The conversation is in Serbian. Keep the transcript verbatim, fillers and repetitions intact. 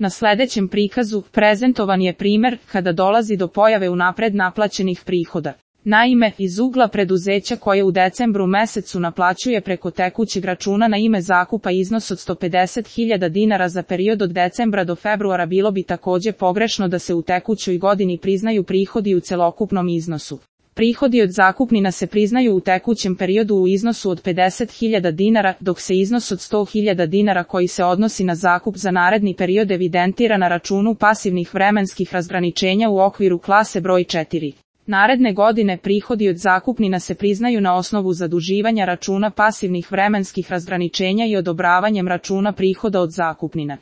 Na sledećem prikazu prezentovan je primer kada dolazi do pojave unapred naplaćenih prihoda. Naime, iz ugla preduzeća koje u decembru mesecu naplaćuje preko tekućeg računa na ime zakupa iznos od sto pedeset hiljada dinara za period od decembra do februara, bilo bi takođe pogrešno da se u tekućoj godini priznaju prihodi u celokupnom iznosu. Prihodi od zakupnina se priznaju u tekućem periodu u iznosu od pedeset hiljada dinara, dok se iznos od sto hiljada dinara koji se odnosi na zakup za naredni period evidentira na računu pasivnih vremenskih razgraničenja u okviru klase broj četiri. Naredne godine prihodi od zakupnina se priznaju na osnovu zaduživanja računa pasivnih vremenskih razgraničenja i odobravanjem računa prihoda od zakupnina.